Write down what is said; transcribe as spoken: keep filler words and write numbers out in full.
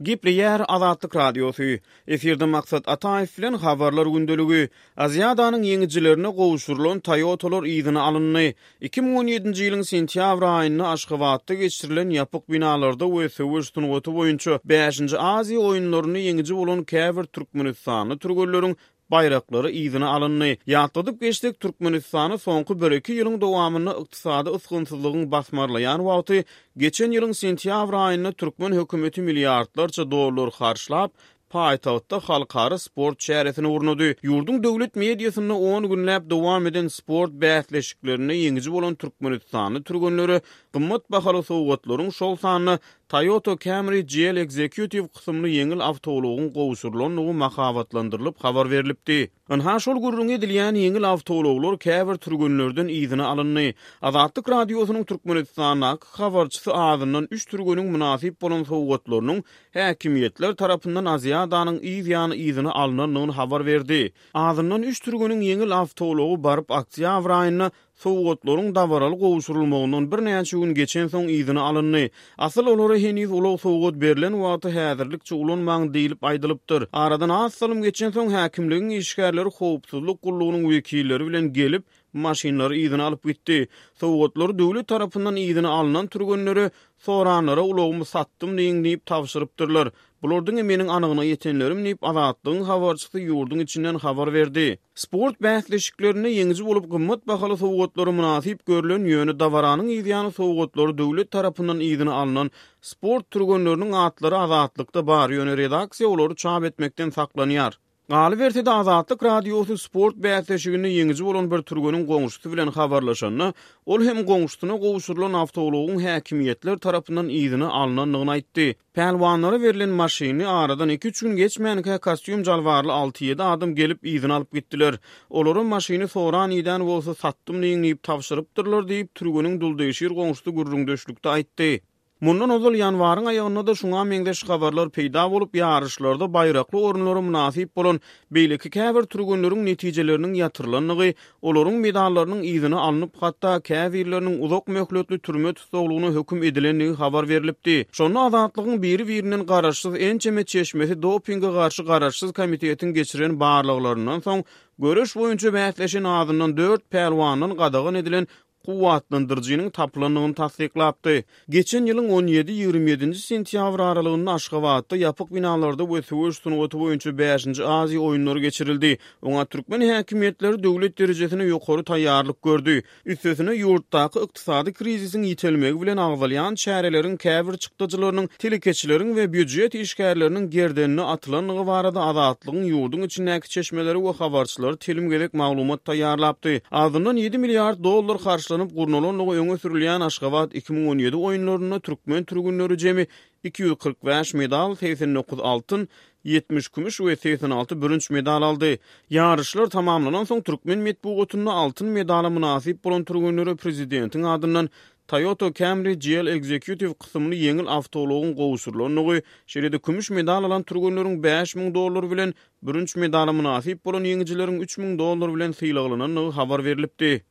Gepleýär Azatlyk Radiosy. Efirde Maksat Ataýew bilen Habarlar gündeligi. Aziadanyň ýeňijilerine gowşurylan Toyotalar yzyna alyndy. Iki müň on ýedinji ýylyň sentýabr aýynda Aşgabatda geçirilen ýapyk binalarda we söweş sungaty boýunça bäşinji Aziýa oýunlarynda ýeňiji bolan käbir türkmenistanly türgenleriň baýraklary yzyna alyndy. Ýatladyp geçsek, Türkmenistany soňky bir-iki ýylyň dowamynda ykdysady ysgynsyzlygyň basmarlaýan wagty, geçen ýylyň sentýabr aýynda türkmen hökümeti milliardlarça dollar harçlap, paýtagtda halkara sport çäresini gurnady. Ýurduň döwlet mediasynda on günläp dowam eden sport bäsleşiklerinde ýeňiji bolan türkmenistanly türgenlere gymmat bahaly sowgatlaryň, şol sanda Toyota Camry G L Executive kysymly ýeňil awtoulagyň gowşurylandygy mahabatlandyrylyp habar berlipdi. Ynha şol gürrüňi edilýän ýeňil awtoulaglar käbir türgenlerden yzyna alyndy. Azatlyk Radiosynyň Türkmenistandaky habarçysy azyndan üç türgeniň mynasyp bolan sowgatlarynyň häkimiýetler tarapyndan Aziadanyň yz ýany yzyna alynandygyny habar berdi. Azyndan üç türgeniň ýeňil awtoulagy baryp oktýabr aýynda sowgatlaryň dabaraly gowşurylmagyndan birnäçe gün geçensoň yzyna alyndy. Asyl olara heniz ulag sowgat berlen wagty häzirlikçe ulanmaň diýlip aýdylypdyr. Aradan az salym geçensoň häkimligiň işgärleri howpsuzlyk gullugynyň wekilleri bilen gelip, maşynlary yzyna alyp gitdi. Sowgatlary döwlet tarapyndan yzyna alynan türgenlere soranlara ulagymy satdym diýiň diýip tabşyrypdyrlar. Bular diňe meniň anygyna ýetenlerim diýip Azatlygyň habarçysy ýurduň içinden habar berdi. Sport bäsleşiklerinde ýeňiji bolup gymmat bahaly sowgatlary mynasyp görülen, ýöne dabaranyň yzýany sowgatlary döwlet tarapyndan yzyna alynan sport türgenleriniň atlary Azatlykda bar, ýöne redaksiýa olary çap etmekden saklanýar. Galyberse-de Azatlyk Radiosy sport bäsleşiginde ýeňiji bolan bir türgeniň goňşusy bilen habarlaşanda, ol hem goňşusyna gowşurylan awtoulagyň häkimiýetler tarapyndan yzyna alynandygyny aýtdy. Pälwanlara berlen maşyny aradan iki-üç gün geçmänkä kostýum jalbarly alty-ýedi adam gelip yzyna alyp gitdiler. Olara maşyny soran iden bolsa satdym diýiň diýip tabşyrypdyrlar diýip, türgeniň duldegşir goňşusy gürrüňdeşlikde aýtdy. Mundan ozal ýanwaryň aýagynda-da şuňa meňzeş habarlar peýda bolup, ýaryşlarda baýrakly orunlara mynasyp bolan beýleki käbir türgenleriň netijeleriniň ýatyrylandygy, olaryň medallarynyň yzyna alnyp, hatda käbirleriniň uzak möhletli türme tussaglygyna höküm edilendigi habar berlipdi. Şonda Azatlygyň biri-birinden garaşsyz ençeme çeşmesi dopinge garşy garaşsyz komitetiň geçiren barlaglaryndan soň göreş boýunça bäsleşen azyndan dört pälwandan gadagan edilen kuwwatlandyryjynyň tapylandygyny tassyklapdy. Geçen ýylyň on ýedi ýigrimi ýedinji sentýabr aralygynda Aşgabatda ýapyk binalarda we söweş sungaty boýunça bäşinji Aziýa oýunlary geçirildi. Oňa türkmen häkimiýetleri döwlet derejesine ýokary taýýarlyk gördi. Üstesine ýurtdaky ykdysady krizisiň ýitelmegi bilen agzalýan çäreleriň käbir çykdajylarynyň telekeçileriň we býujet işgärleriniň gerdenine atylandygy barada Azatlygyň ýurduň içindäki çeşmeleri we habarçylary telim gezek maglumat taýýarlapdy. Azyndan ýedi milliard dollar harçlanyp gurnalandygy öňe sürülýän Aşgabat iki müň on ýedi oýunlarynda türkmen türgünleri jemi iki ýüz kyrk bäş medal, segsen dokuz altyn, ýetmiş kümüş we segsen alty bürünç medal aldy. Ýaryşlar tamamlanan soň türkmen metbugatynda altyn medala mynasyp bolan türgenlere prezidentiň adyndan Toyota Camry G L Executive kysymly ýeňil awtoulagyň gowşurylandygy, şeýle-de kümüş medal alan türgenleriň bäş müň dollar bilen bürünç medala mynasyp bolan ýeňijileriň üç müň dollar bilen sylaglanandygy habar berlipdi.